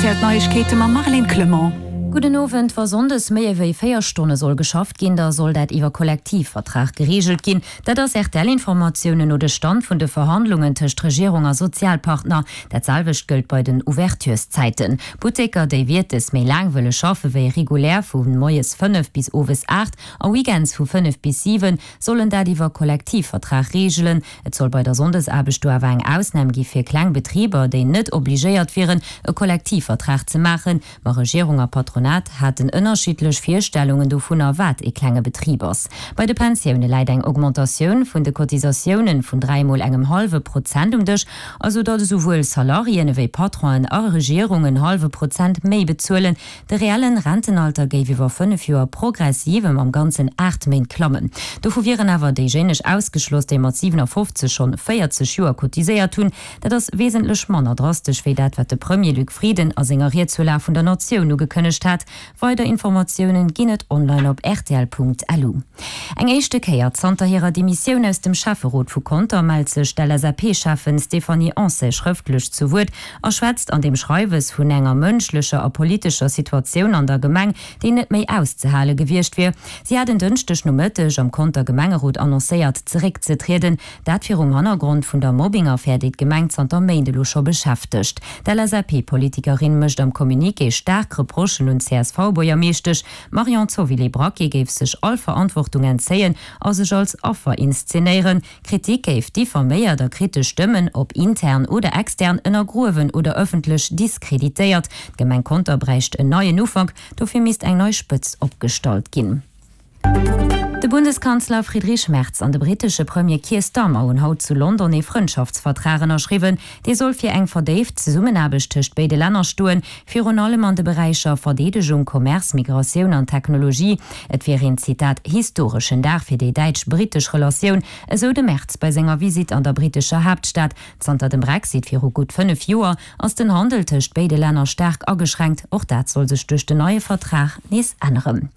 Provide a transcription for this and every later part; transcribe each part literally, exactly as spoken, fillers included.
R T L d'Neiegkeete mam Marlène Clement. Gudden Owend, Wa sonndes méi ewéi véier Stonne soll geschafft ginn, da soll dat iwwer Kollektivvertrag gereegelt ginn. Dat ass R T L-Informatiounen no de Stand vun de Verhandlungen tëscht Regierung a Sozialpartner. Dat selwecht gëllt bei den Ouvertureszäiten. Butteker, déi wiertes méi laang wëlle schaffe wéi regulär, vu moies fënnef bis owes aacht a weekends vu fënnef bis siwen, sollen dat iwwer Kollektivvertrag reegelen. Et soll bei der Sonndesaarbecht do awer eng Ausnam gi fir kleng Betriber, déi net obligéiert wieren, e Kollektivvertrag ze maachen. Ma Regierung a Patronat haten ënnerschiddlech Virstellungen dovunner, wat e klenge Betrib ass. Bei de Pensioune läit eng Augmentatioun vun de Cotisatioune vun dräi mol engem hallwe Prozent um Dësch, also datt esouwuel Salariéen ewéi Patronen a Regierung en hallwe Prozent méi bezuelen. De reellen Rentenalter géif iwwer fënnef Joer progressiv ëm am Ganzen aacht Méint klammen. Dovu wieren awer déijéineg ausgeschloss, déi mat siwenafoffzeg schonn véierzeg Joer cotiséiert hunn. Dat ass wesentlech manner drastesch wéi dat, wat de Premier Luc Frieden a senger Ried zur Lag vun der Natioun ugekënnegt hat. Weider Informatiounen ginn et online op rtl Punkt L U. Eng éischte Kéier zanter hirer Demissioun aus dem Schäfferot vu Conter mellt sech d'L S A P-Schäffen Stéphanie Ancet schrëftlech zu Wuert a schwätzt an deem Schreiwes vun enger mënschlecher a politescher Situatioun an der Gemeng, déi net méi auszehale gewiescht wier. Si hat en Dënschdeg Nomëtteg am Conter Gemengerot annoncéiert, zeréckzetrieden, dat virum Hannergrond vun der Mobbing-Affär, déi d'Gemeng zanter Méint elo scho beschäftegt. D'L S A P-Politikerin mécht am Communiqué staark Reprochen un d'C S V-Buergermeeschtesch. D'Marion Zovilé-Braquet géif sech all Verantwortung entzéien a sech als Affer inszenéieren. Kritik géif diffaméiert a kritesch Stëmmen, ob intern oder extern, ënnergruewen oder ëffentlech diskreditéiert. D'Gemeng Conter bräicht en neien Ufank, dofir misst eng nei Spëtzt opgestallt ginn. De Bundeskanzler Friedrich Merz an de brittesche Premier Keir Starmer hunn haut zu London ee Frëndschaftsvertrag ënnerschriwwen. Dee soll fir eng verdéift Zesummenaarbecht tëscht béide Länner stoen, virun allem an de Beräicher Verdeedegung, Commerce, Migratioun an Technologie. Et wier een, Zitat, historeschen Dag fir déi däitsch-brittesch Relatioun, esou de Merz bei senger Visitt an der brittescher Haaptstad. Zanter dem Brexit viru gutt fënnef Joer ass den Handel tëscht béide Länner staark ageschränkt. Och dat soll sech duerch den neie Vertrag nees änneren.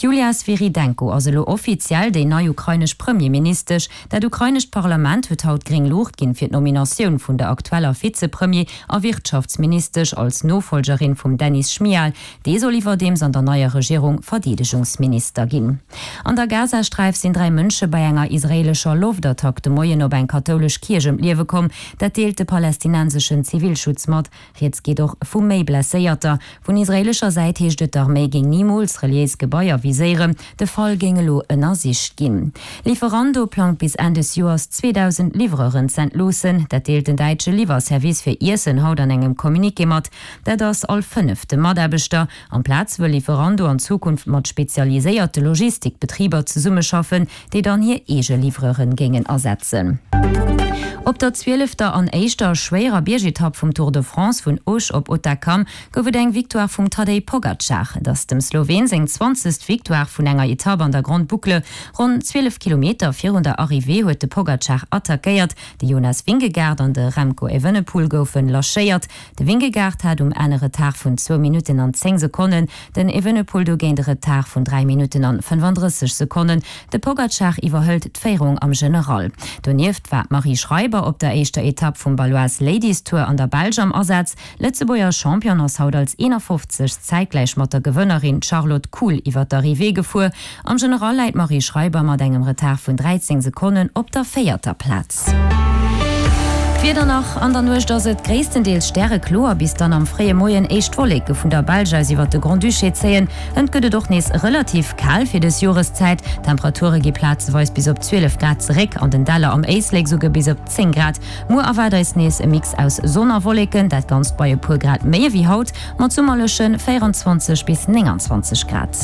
D'Julia Swyrydenko ass elo offiziell déi nei ukrainesch Premierministesch. Dat ukrainescht Parlament huet haut gréng Luucht ginn fir d'Nominatioun vun der aktueller Vizepremier a Wirtschaftsministesch als Nofollgerin vum Denys Schmyhal. Dee soll iwwerdeems an der neier Regierung Verdeedegungsminister ginn. An der Gazasträif sinn dräi Mënsche bei enger israeelescher Loftattack de Moien op eng kathoulesch Kierch ëm d'Liewe komm. Dat deelt de palästinenseschen Zivilschutz mat. Rieds geet och vu méi Blesséierter. Vun israeelescher Säit heescht et, d'Arméi géing nimools reliéis Gebaier viséieren. De Fall géing elo ënnersicht ginn. Lieferando plangt bis Enn des Joers zweedausend Livreuren z'entloossen. Dat deelt den däitsche Liwwerservice fir Iessen haut an engem Communiqué mat. Dat ass all fënnefte Mataarbechter. Amplaz wëll Lieferando an Zukunft mat spezialiséierte Logistikbetriber zesummeschaffen, déi dann hir eege Livreuren géingen ersetzen. Op der zwielefter an éischter schwéierer Biergetapp vum Tour de France vun Auch op Hautacam gouf et eng Victoire vum Tadej Pogacar. Et ass dem Sloween seng zwanzegst Victoire vun enger Etapp an der Grande Boucle. Ronn zwielef Kilometer virun der Arrivée huet de Pogacar attackéiert. De Jonas Vingegaard an de Remco Evenepoel goufe lachéiert. De Vingegaard hat um Enn e Retard vun zwou Minutten an zéng Sekonnen, den Evenepoel dogéint e Retard vun dräi Minutten an fënnefandrësseg Sekonnen. De Pogacar iwwerhëlt d'Féierung am General. Donieft war d'Marie Schreiber op der éischter Etapp vum Baloise Ladies Tour an der Belsch am Asaz. Lëtzebuerger Championne ass haut als eenafofzegst zäitgläich mat der Gewënnerin Charlotte Kool iwwer d'Arrivée gefuer. Am General läit d'Marie Schreiber mat engem Retard vun dräizéng Sekonnen op der véierter Plaz. D'Wieder nach, An der Nuecht ass et gréisstendeels stärekloer, bis dann am fréie Moien éischt Wolleke vun der Belsch aus iwwert de Grand-Duché zéien. Et gëtt et och nees relativ kal fir dës Joreszäit. D'Temperature gi plazeweis bis op zwielef Grad zeréck, an den Däller am Éislek souguer bis op zéng Grad. Muer erwaart eis nees e Mix aus Sonn a Wolleken, dat Ganzt bei e puer Grad méi ewéi haut, mat summerleche véierenzwanzeg bis nénganzwanzeg Grad.